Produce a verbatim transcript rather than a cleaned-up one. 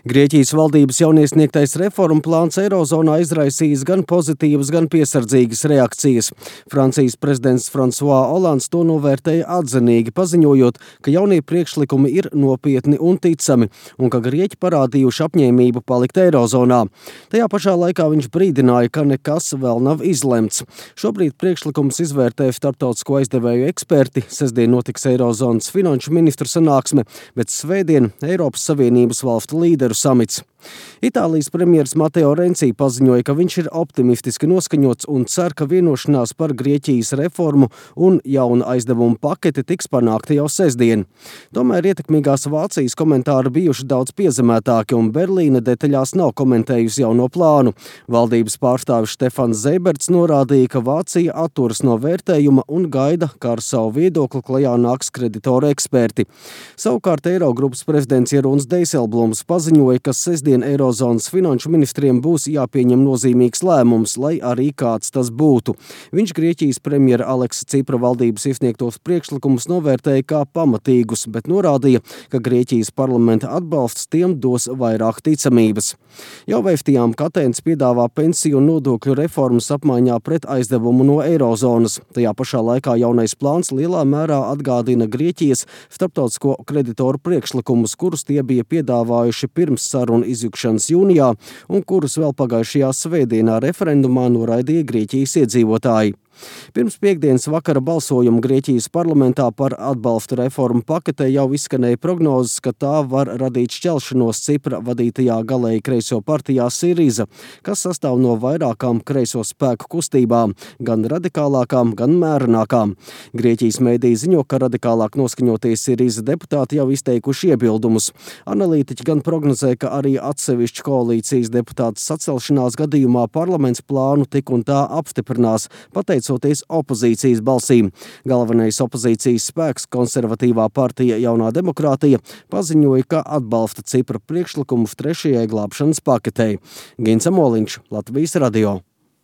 Grieķijas valdības jauniesniegtais reformu plāns Eirozonā izraisījis gan pozitīvas, gan piesardzīgas reakcijas. Francijas prezidents François Hollands to novērtēja atzinīgi, paziņojot, ka jaunie priekšlikumi ir nopietni un ticami, un ka grieķi parādījuši apņēmību palikt Eirozonā. Tajā pašā laikā viņš brīdināja, ka nekas vēl nav izlemts. Šobrīd priekšlikums izvērtē starptautisko aizdevēju eksperti, sestdien notiks Eirozonas finanšu ministru sanāksme, bet svētdien Eiropas Savienības valstu līderu samits. Itālijas premjeras Mateo Renci paziņoja, ka viņš ir optimistiski noskaņots un cer, ka vienošanās par Grieķijas reformu un jaunu aizdevumu paketi tiks panākta jau sestdien. Tomēr ietekmīgās Vācijas komentāri bijuši daudz piezemētāki, un Berlīne detaļās nav komentējusi jauno plānu. Valdības pārstāvis Stefans Zeiberts norādīja, ka Vācija atturas no vērtējuma un gaida, kā ar savu viedokli klajā nāks kreditoru eksperti. Savukārt Eirogrupas prezidents Jeroens Dijsselbloems paziņoja, ka sestdien Eirozonas finanšu ministriem būs jāpieņem nozīmīgs lēmums, lai arī kāds tas būtu. Viņš Grieķijas premjera Aleksa Cipra valdības iesniegtos priekšlikumus novērtēja kā pamatīgus, bet norādīja, ka Grieķijas parlamenta atbalsts tiem dos vairāk ticamības. Jau vēstījām, ka Atēnas piedāvā pensiju un nodokļu reformas apmaiņā pret aizdevumu no Eirozonas. Tajā pašā laikā jaunais plāns lielā mērā atgādina Grieķijas starptautisko kreditoru priekšlikumus, kurus tie bija piedāvājuši pirms sarunu izjukšanas jūnijā un kurus vēl pagājušajā svētdienā referendumā noraidīja Grieķijas iedzīvotāji. Pirms piektdienas vakara balsojuma Grieķijas parlamentā par atbalstu reformu paketē jau izskanēja prognozes, ka tā var radīt šķelšanos Cipra vadītajā galēji kreiso partijā Siriza, kas sastāv no vairākām kreiso spēku kustībām, gan radikālākām, gan mērenākām. Grieķijas mēdīji ziņo, ka radikālāk noskaņotie Siriza deputāti jau izteikuši iebildumus. Analītiķi gan prognozē, ka arī atsevišķu koalīcijas deputātu sacelšanās gadījumā parlaments plānu tik un tā apstiprinās, pateicoties opozīcijas balsīm. Galvenais opozīcijas spēks, konservatīvā partija Jaunā demokrātija, paziņoja, ka atbalsta Cipra priekšlikumu trešajai glābšanas paketei. Gins Amoliņš, Latvijas radio.